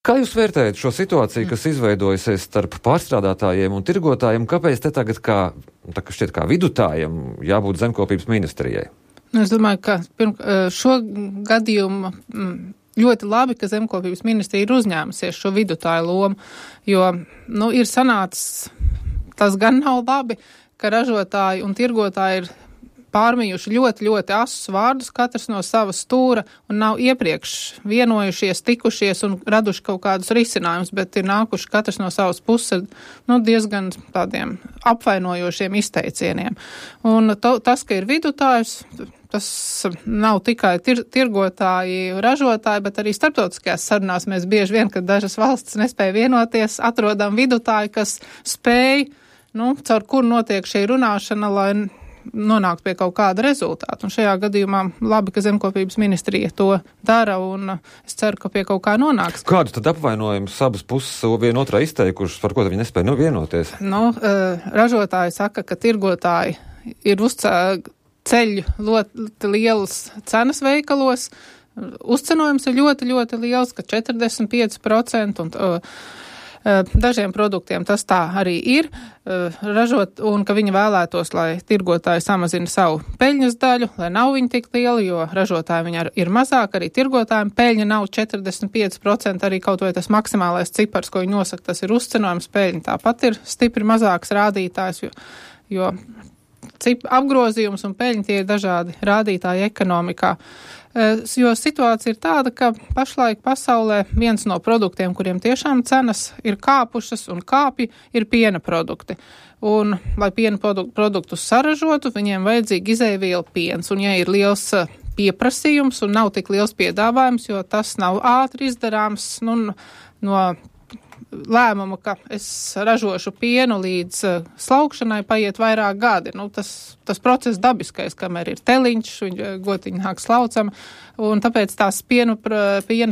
Kā jūs vērtējat šo situāciju, kas izveidojusies starp pārstrādātājiem un tirgotājiem? Kāpēc te tagad šķiet kā vidutājiem jābūt zemkopības ministrijai? Es domāju, ka šo gadījumu ļoti labi, ka zemkopības ministrija ir uzņēmusies šo vidutāju lomu, jo, ir sanācis, tas gan nav labi, ka ražotāji un tirgotāji ir pārmījuši ļoti, ļoti asus vārdus, katrs no sava stūra, un nav iepriekš vienojušies, tikušies un raduši kaut kādus risinājumus, bet ir nākuši katrs no savas puses, diezgan tādiem apvainojošiem izteicieniem. Un tas, ka ir vidutājs, tas nav tikai tirgotāji, ražotāji, bet arī starptautiskajās sarunās mēs bieži vien, kad dažas valstis nespēja vienoties, atrodam vidutāji, kas spēj, caur kuru notiek šī runāšana, lai nonākt pie kaut kāda rezultāta. Un šajā gadījumā labi, ka zemkopības ministrija to dara, un es ceru, ka pie kaut kā nonāks. Kādu tad apvainojumu abas puses vienotrā izteikušas, par ko viņi nespēja vienoties? Ražotāji saka, ka tirgotāji ir ceļ ļoti lielas cenas veikalos. Uzcenojums ir ļoti, ļoti liels, ka 45%, un dažiem produktiem tas tā arī ir, un ka viņi vēlētos, lai tirgotāji samazina savu peļņas daļu, lai nav viņa tik liela, jo ražotāji viņa ir mazāk, arī tirgotājiem peļņa nav 45%, arī kaut vai tas maksimālais cipars, ko viņi nosaka, tas ir uzcenojums, peļņa tāpat ir stipri mazāks rādītājs, jo apgrozījums un peļņa tie ir dažādi rādītāji ekonomikā. Jo situācija ir tāda, ka pašlaik pasaulē viens no produktiem, kuriem tiešām cenas ir kāpušas un kāpji, ir piena produkti. Un, lai piena produktus saražotu, viņiem vajadzīgi izēviela piens. Un, ja ir liels pieprasījums un nav tik liels piedāvājums, jo tas nav ātri izdarāms, no lēmumu, ka es ražošu pienu līdz slaukšanai paiet vairāk gadi. Tas process dabiskais, kamēr ir teliņš, gotiņi nāk slaucama, un tāpēc tās piena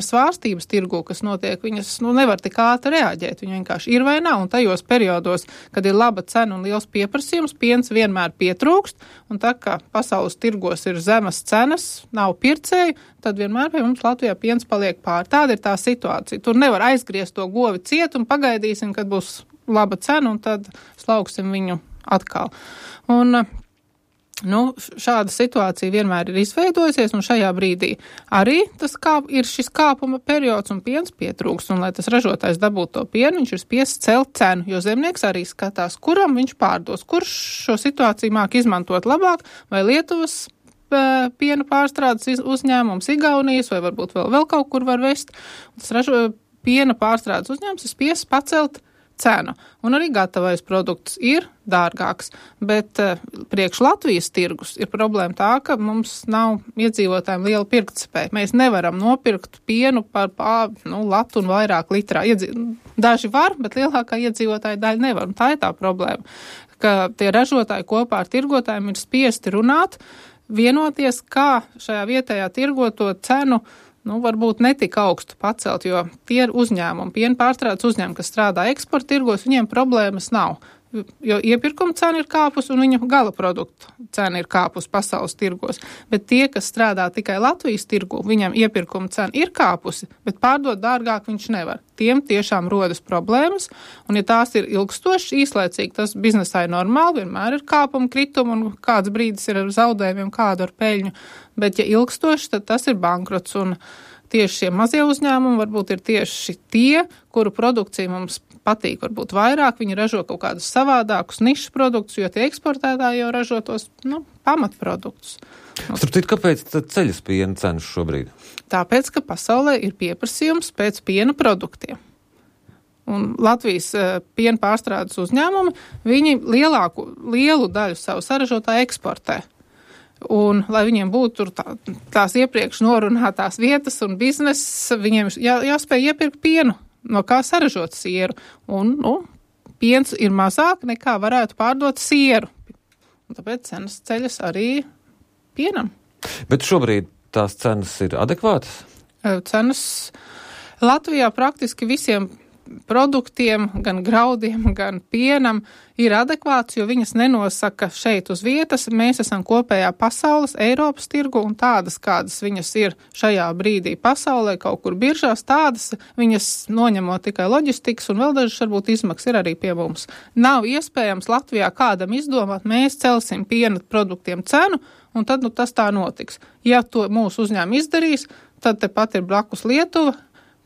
svārstības tirgu, kas notiek, viņas nevar tik ātri reaģēt. Viņa vienkārši ir vai nav, un tajos periodos, kad ir laba cena un liels pieprasījums, piens vienmēr pietrūkst, un tā kā pasaules tirgos ir zemas cenas, nav pircēju, tad vienmēr pie mums Latvijā piens paliek pār. Tāda ir tā situācija. Tur nevar aizgriezt to govi ciet un pagaidīsim, kad būs laba cena, un tad slauksim viņu atkal. Un, šāda situācija vienmēr ir izveidojusies, un šajā brīdī arī ir šis kāpuma periods, un piens pietrūks, un lai tas ražotājs dabūtu to pienu, viņš ir spiests celt cenu, jo zemnieks arī skatās, kuram viņš pārdos, kurš šo situāciju māk izmantot labāk, vai Lietuvas piena pārstrādes uzņēmums, Igaunijas, vai varbūt vēl kaut kur var vest. Tas piena pārstrādes uzņēmums ir spiests pacelt cenu. Un arī gatavais produkts ir dārgāks, bet priekš Latvijas tirgus ir problēma tā, ka mums nav iedzīvotājiem liela pirktspēja. Mēs nevaram nopirkt pienu par latu un vairāk litrā. Daži var, bet lielākā iedzīvotāja daļa nevar. Un tā ir tā problēma, ka tie ražotāji kopā ar tirgotājiem ir spiesti runāt, vienoties, kā šajā vietējā tirgoto cenu varbūt netik augstu pacelt, jo tie ir uzņēmumi, piena pārstrādes uzņēmumi, kas strādā eksporta tirgos, viņiem problēmas nav. Jo iepirkuma cena ir kāpus un viņa gala produktu cena ir kāpus pasaules tirgos. Bet tie, kas strādā tikai Latvijas tirgu, viņam iepirkuma cena ir kāpusi, bet pārdot dārgāk viņš nevar. Tiem tiešām rodas problēmas, un ja tās ir ilgstošas, īslaicīgi, tas biznesā ir normāli, vienmēr ir kāpuma krituma un kāds brīdis ir ar zaudējumiem, kādu ar peļņu. Bet ja ilgstoši, tad tas ir bankrots, un tieši šie mazie uzņēmumi varbūt ir tieši tie, kuru produkcija mums patīk varbūt vairāk, viņi ražo kaut kādus savādākus nišas produktus, jo tie eksportētāji jau ražo tos pamatproduktus. Starptīt, kāpēc tad ceļas piena cenas šobrīd? Tāpēc, ka pasaulē ir pieprasījums pēc piena produktiem. Un Latvijas piena pārstrādes uzņēmumi, viņi lielu daļu savu saražotāju eksportē. Un, lai viņiem būtu tās iepriekš norunātās vietas un bizness, viņiem jāspēj iepirkt pienu, no kā saražot sieru. Un, piens ir mazāk nekā varētu pārdot sieru. Un tāpēc cenas ceļas arī pienam. Bet šobrīd tās cenas ir adekvātas? Cenas Latvijā praktiski visiem produktiem, gan graudiem, gan pienam ir adekvāts, jo viņas nenosaka šeit uz vietas. Mēs esam kopējā pasaules, Eiropas tirgu, un tādas, kādas viņas ir šajā brīdī pasaulē, kaut kur biržās, tādas viņas noņemot tikai loģistikas, un vēl dažas varbūt izmaksas ir arī pie mums. Nav iespējams Latvijā kādam izdomāt, mēs celsim piena produktiem cenu, un tad tas tā notiks. Ja to mūsu uzņēmumi izdarīs, tad tepat ir blakus Lietuva,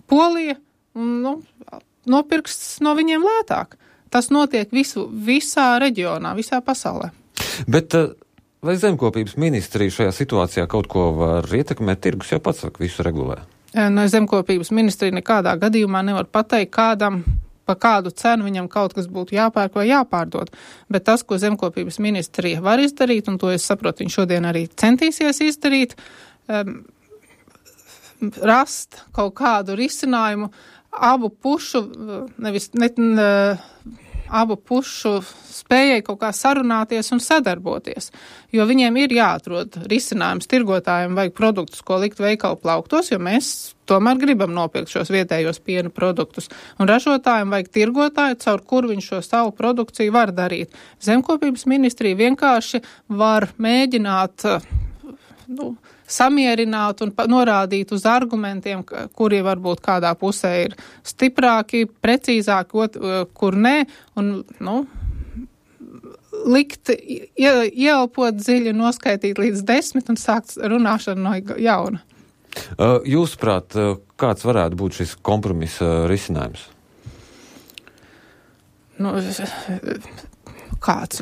Polija, un nopirks no viņiem lētāk. Tas notiek visā reģionā, visā pasaulē. Bet vai zemkopības ministrija šajā situācijā kaut ko var ietekmēt? Tirgus jau pats visu regulē. No zemkopības ministrija nekādā gadījumā nevar pateikt kādam, pa kādu cenu viņam kaut kas būtu jāpērk vai jāpārdod. Bet tas, ko zemkopības ministrija var izdarīt, un to es saprotu, viņš šodien arī centīsies izdarīt, rast kaut kādu risinājumu abu pušu spējai kaut kā sarunāties un sadarboties, jo viņiem ir jāatrod risinājums. Tirgotājiem vajag produktus, ko likt veikalu plauktos, jo mēs tomēr gribam nopirkt šos vietējos piena produktus, un ražotājiem vajag tirgotāju, caur kur viņš šo savu produkciju var darīt. Zemkopības ministrija vienkārši var mēģināt samierināt un norādīt uz argumentiem, kuri varbūt kādā pusē ir stiprāki, precīzāki, kur nē, un, likt, ieelpot dziļi, noskaitīt līdz 10 un sākt runāšanu no jauna. Jūsuprāt, kāds varētu būt šis kompromisa risinājums? Kāds?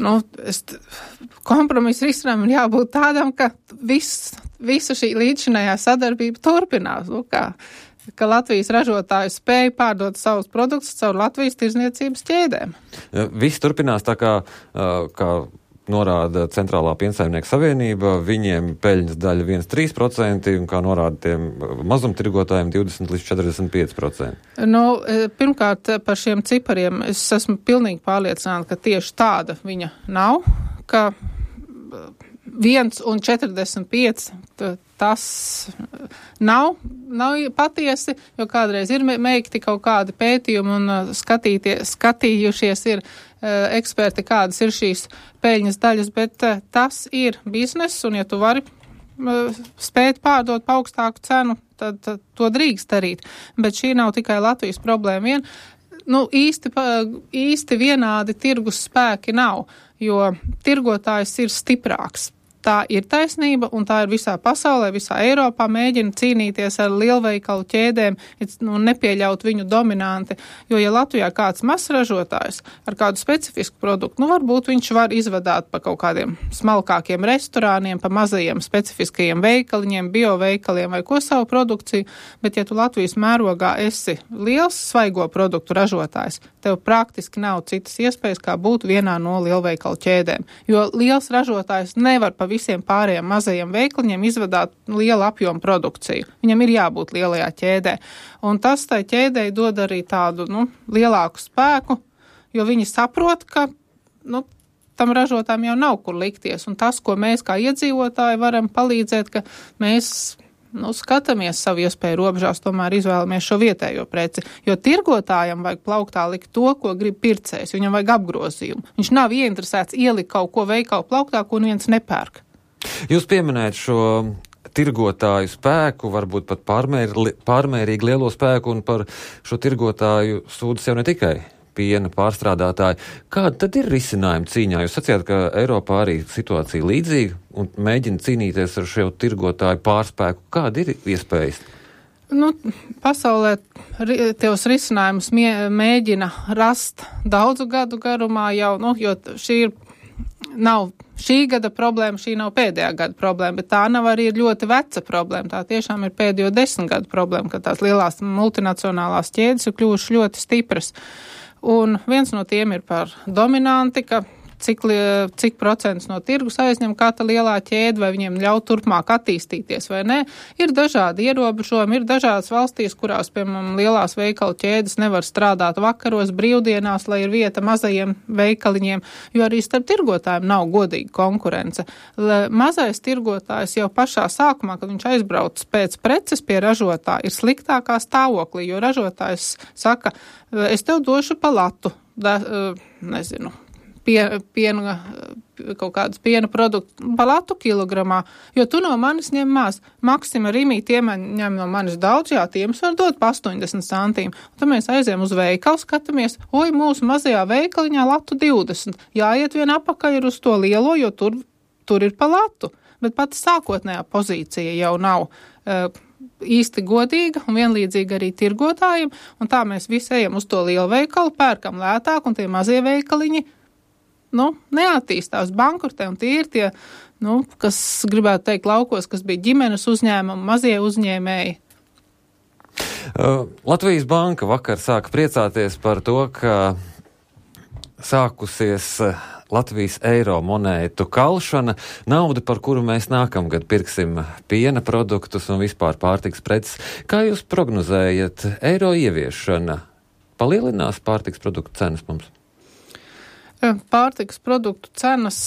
Kompromisa risinājumam jābūt tādam, ka visa šī līdzinājā sadarbība turpinās. Ka Latvijas ražotāji spēja pārdot savus produktus caur Latvijas tirzniecības ķēdēm. Viss turpinās tā kā norāda Centrālā piensaimnieku savienība, viņiem peļņas daļa 1,3%, un kā norāda tiem mazumtirgotājiem 20 līdz 45%. Pirmkārt, par šiem cipariem es esmu pilnīgi pārliecināta, ka tieši tāda viņa nav, ka 1,45 tas nav patiesi, jo kādreiz ir meikti kaut kādi pētījumi un skatījušies ir eksperti, kādas ir šīs peļņas daļas, bet tas ir biznes, un ja tu vari spēt pārdot pa augstāku cenu, tad to drīkst darīt. Bet šī nav tikai Latvijas problēma vien. Īsti vienādi tirgus spēki nav, jo tirgotājs ir stiprāks. Tā ir taisnība, un tā ir visā pasaulē, visā Eiropā mēģina cīnīties ar lielveikalu ķēdēm un nepieļaut viņu dominanti, jo ja Latvijā kāds mazs ražotājs ar kādu specifisku produktu, varbūt viņš var izvadāt pa kaut kādiem smalkākiem restorāniem, pa mazajiem specifiskajiem veikaliņiem, bioveikaliem vai ko savu produkciju, bet ja tu Latvijas mērogā esi liels svaigo produktu ražotājs, tev praktiski nav citas iespējas, kā būt vienā no lielveikalu ķēdēm, jo liels ražotājs nevar pa visiem pārējiem mazajiem veikliņiem izvadāt lielu apjomu produkciju. Viņam ir jābūt lielajā ķēdē. Un tas tai ķēdei dod arī tādu, lielāku spēku, jo viņi saprot, ka, tam ražotājiem jau nav kur likties. Un tas, ko mēs kā iedzīvotāji varam palīdzēt, ka mēs skatāmies savu iespēju robežās, tomēr izvēlamies šo vietējo preci, jo tirgotājam vajag plauktā likt to, ko grib pircējs, viņam vajag apgrozījumu. Viņš nav ieinteresēts ielikt kaut ko veikalu plauktā, ko neviens nepērk. Jūs pieminējat šo tirgotāju spēku, varbūt pat pārmērīgi lielo spēku, un par šo tirgotāju sūdzas jau ne tikai piena pārstrādātāji. Kāda tad ir risinājuma cīņā? Jūs sacījāt, ka Eiropā arī situācija līdzīga un mēģina cīnīties ar šo tirgotāju pārspēku. Kāda ir iespējas? Pasaulē tos risinājumus mēģina rast daudzu gadu garumā jau, jo nav šī gada problēma, šī nav pēdējā gada problēma, bet tā nav arī ļoti veca problēma. Tā tiešām ir pēdējo 10 gadu problēma, ka tās lielās multinacionālās ķēdes ir kļuvušas ļoti stipras. Un viens no tiem ir par dominanti, ka cik procents no tirgus aizņem katra lielā ķēde, vai viņiem ļauj turpmāk attīstīties vai nē. Ir dažādi ierobežojumi, ir dažādas valstīs, kurās, piemēram, lielās veikalu ķēdes nevar strādāt vakaros, brīvdienās, lai ir vieta mazajiem veikaliņiem, jo arī starp tirgotājiem nav godīga konkurence. Mazais tirgotājs jau pašā sākumā, kad viņš aizbrauc pēc preces pie ražotāja, ir sliktākā stāvoklī, jo ražotājs saka, es tev došu pa latu, nezinu, piena, kaut kādus piena produktu pa latu kilogramā, jo tu no manis ņem maz. Maksima Rimī tiem ņem no manis daudz, jā, tiem var dot pa 80 centīm. Un tad mēs aizējam uz veikalu, skatāmies, mūsu mazajā veikaliņā latu 20. Jāiet vien apakaļ ir uz to lielo, jo tur ir pa latu. Bet pati sākotnējā pozīcija jau nav īsti godīga un vienlīdzīga arī tirgotājiem, un tā mēs visi ejam uz to lielu veikalu, pērkam lētāk, un tie mazie veikaliņi, neattīstās bankrotē, un tie ir tie, kas gribētu teikt laukos, kas bija ģimenes uzņēmumi, mazie uzņēmēji. Latvijas Banka vakar sāka priecāties par to, ka sākusies Latvijas eiro monētu kalšana, nauda, par kuru mēs nākamgad pirksim piena produktus un vispār pārtiks preces. Kā jūs prognozējat, eiro ieviešana palielinās pārtiks produktu cenas mums? Pārtikas produktu cenas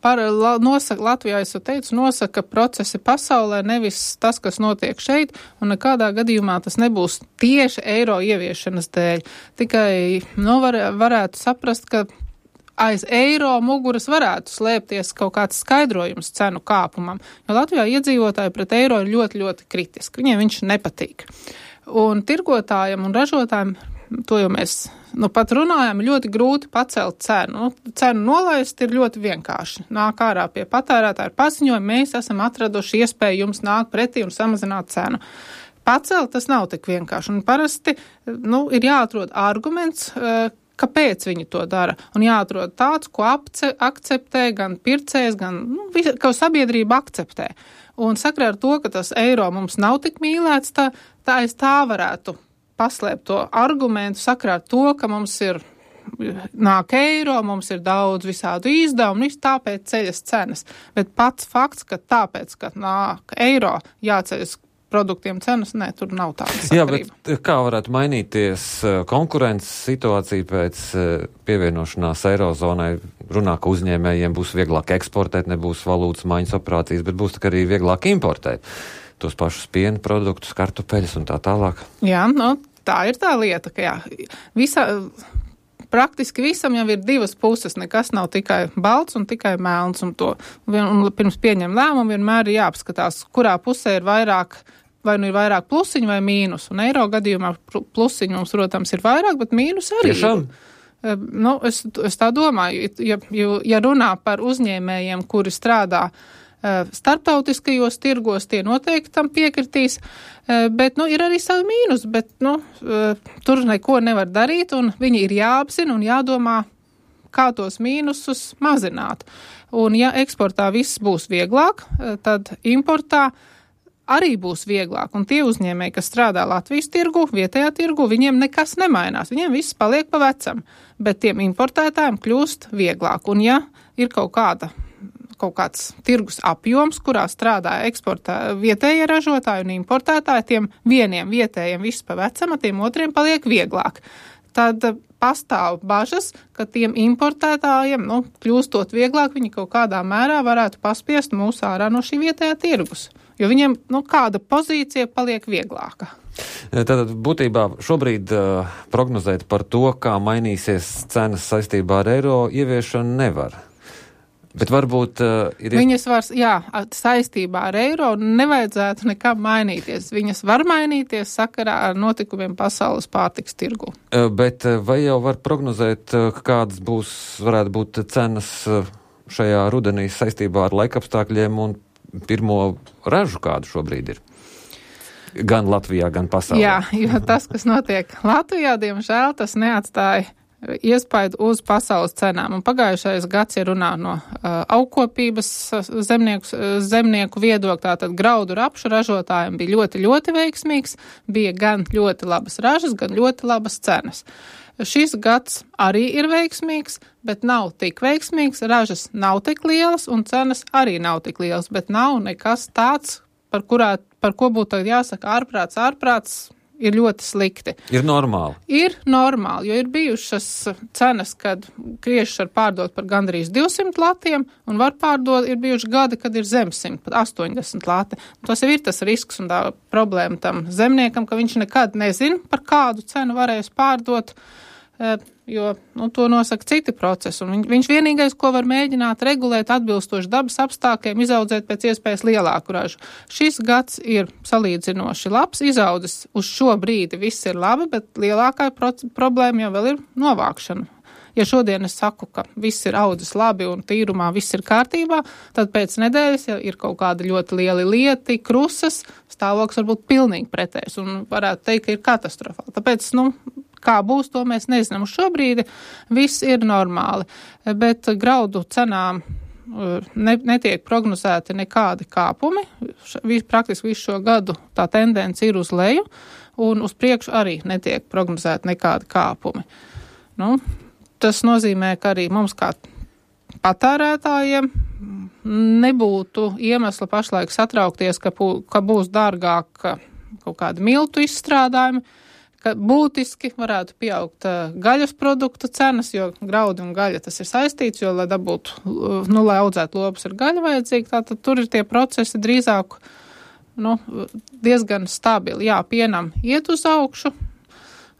nosaka, Latvijā, es jau teicu, nosaka procesi pasaulē, nevis tas, kas notiek šeit, un nekādā gadījumā tas nebūs tieši eiro ieviešanas dēļ. Tikai, varētu saprast, ka aiz eiro muguras varētu slēpties kaut kāds skaidrojums cenu kāpumam, jo Latvijā iedzīvotāji pret eiro ir ļoti, ļoti kritiski. Viņiem viņš nepatīk. Un tirgotājiem un ražotājiem, to jau mēs pat runājam, ļoti grūti pacelt cenu. Cenu nolaist ir ļoti vienkārši. Nāk ārā pie patērētāja paziņojuma, mēs esam atraduši iespēju jums nākt pretī un samazināt cenu. Pacelt tas nav tik vienkārši. Un parasti ir jāatrod arguments, kāpēc viņi to dara. Un jāatrod tāds, ko akceptē gan pircējs, gan ko sabiedrība akceptē. Un sakarā ar to, ka tas eiro mums nav tik mīlēts, tā varētu paslēpt to argumentu sakarā ar to, ka mums nāk eiro, mums ir daudz visādu izdevumu, tāpēc ceļas cenas. Bet pats fakts, ka tāpēc, ka nāk eiro, jāceļas produktiem cenas, tur nav tāda sakarība. Jā, bet kā varētu mainīties konkurences situācija pēc pievienošanās eirozonai? Runā, ka uzņēmējiem būs vieglāk eksportēt, nebūs valūtas maiņas operācijas, bet būs arī vieglāk importēt tos pašus piena produktus, kartupeļus un tā tālāk. Jā, tā ir tā lieta, ka praktiski visam jau ir divas puses, nekas nav tikai balts un tikai melns, un pirms pieņem lēmumu vienmēr ir jāapskatās, kurā pusē ir vairāk, vai ir vairāk plusiņu vai mīnus, un eiro gadījumā plusiņu mums, protams, ir vairāk, bet mīnus arī. Tiešām? Es tā domāju, ja runā par uzņēmējiem, kuri strādā starptautiskajos tirgos, tie noteikti tam piekritīs, bet, ir arī savi mīnus, bet, tur neko nevar darīt, un viņi ir jāapzina un jādomā, kā tos mīnusus mazināt. Un ja eksportā viss būs vieglāk, tad importā arī būs vieglāk, un tie uzņēmēji, kas strādā Latvijas tirgu, vietējā tirgu, viņiem nekas nemainās, viņiem viss paliek pa vecam, bet tiem importētājiem kļūst vieglāk, un ja ir kaut kāds tirgus apjoms, kurā strādā vietējie ražotāji un importētāji, tiem vieniem vietējiem viss pa vecam, tiem otriem paliek vieglāk. Tad pastāv bažas, ka tiem importētājiem, kļūstot vieglāk, viņi kaut kādā mērā varētu paspiest mūs ārā no šī vietējā tirgus. Jo viņiem, kāda pozīcija paliek vieglāka. Tātad būtībā šobrīd prognozēt par to, kā mainīsies cenas saistībā ar eiro ieviešanu nevar. Bet varbūt ir... Viņas saistībā ar eiro nevajadzētu nekam mainīties. Viņas var mainīties sakarā ar notikumiem pasaules pārtiks tirgu. Bet vai jau var prognozēt, kādas varētu būt cenas šajā rudenī saistībā ar laikapstākļiem un pirmo ražu, kādu šobrīd ir? Gan Latvijā, gan pasaulē. Jā, jo tas, kas notiek Latvijā, diemžēl, tas neatstāja iespaidu uz pasaules cenām. Un pagājušais gads, ja runā no augkopības zemnieku viedokļa, tātad graudu rapšu ražotājiem bija ļoti, ļoti veiksmīgs, bija gan ļoti labas ražas, gan ļoti labas cenas. Šis gads arī ir veiksmīgs, bet nav tik veiksmīgs, ražas nav tik lielas un cenas arī nav tik lielas, bet nav nekas tāds, par ko būtu jāsaka ārprāts ir ļoti slikti. Ir normāli. Ir normāli, jo ir bijušas cenas, kad kriešus var pārdot par gandrīz 200 latiem, un var pārdot, ir bijuši gadi, kad ir zem 100, pat 80 lati. Tas jau ir tas risks un tā problēma tam zemniekam, ka viņš nekad nezin, par kādu cenu varēs pārdot, jo to nosaka citi procesi. Un viņš vienīgais, ko var mēģināt regulēt atbilstoši dabas apstākļiem, izaudzēt pēc iespējas lielāku ražu. Šis gads ir salīdzinoši labs, izaudzis uz šo brīdi viss ir labi, bet lielākā problēma jau vēl ir novākšana. Ja šodien es saku, ka viss ir audzis labi un tīrumā viss ir kārtībā, tad pēc nedēļas, ja ir kaut kāda ļoti lieli lieti, krusas, stāvoklis var būt pilnīgi pretējs un varētu teikt, ka ir katastrofāli. Tāpēc, kā būs, to mēs nezinām. Uz šo brīdi viss ir normāli, bet graudu cenām netiek prognozēti nekādi kāpumi. Praktiski visu šo gadu tā tendence ir uz leju, un uz priekšu arī netiek prognozēti nekādi kāpumi. Tas nozīmē, ka arī mums kā patērētājiem nebūtu iemesla pašlaik satraukties, ka būs dārgāk kaut kādi miltu izstrādājumi, ka būtiski varētu pieaugt gaļas produktu cenas, jo graudi un gaļa tas ir saistīts, jo, lai dabūtu, lai audzētu lopus ir gaļa vajadzīga, tātad tur ir tie procesi drīzāk, diezgan stabili. Jā, pienam iet uz augšu,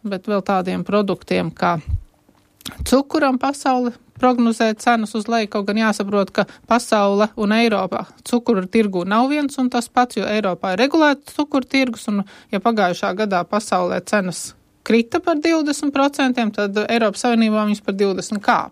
bet vēl tādiem produktiem, kā cukuram pasaule prognozē cenas uz leju, kaut gan jāsaprot, ka pasaule un Eiropā cukuru tirgu nav viens un tas pats, jo Eiropā ir regulēts cukuru tirgus, un ja pagājušā gadā pasaulē cenas krita par 20%, tad Eiropas Savienībā viņas par 20% kāp.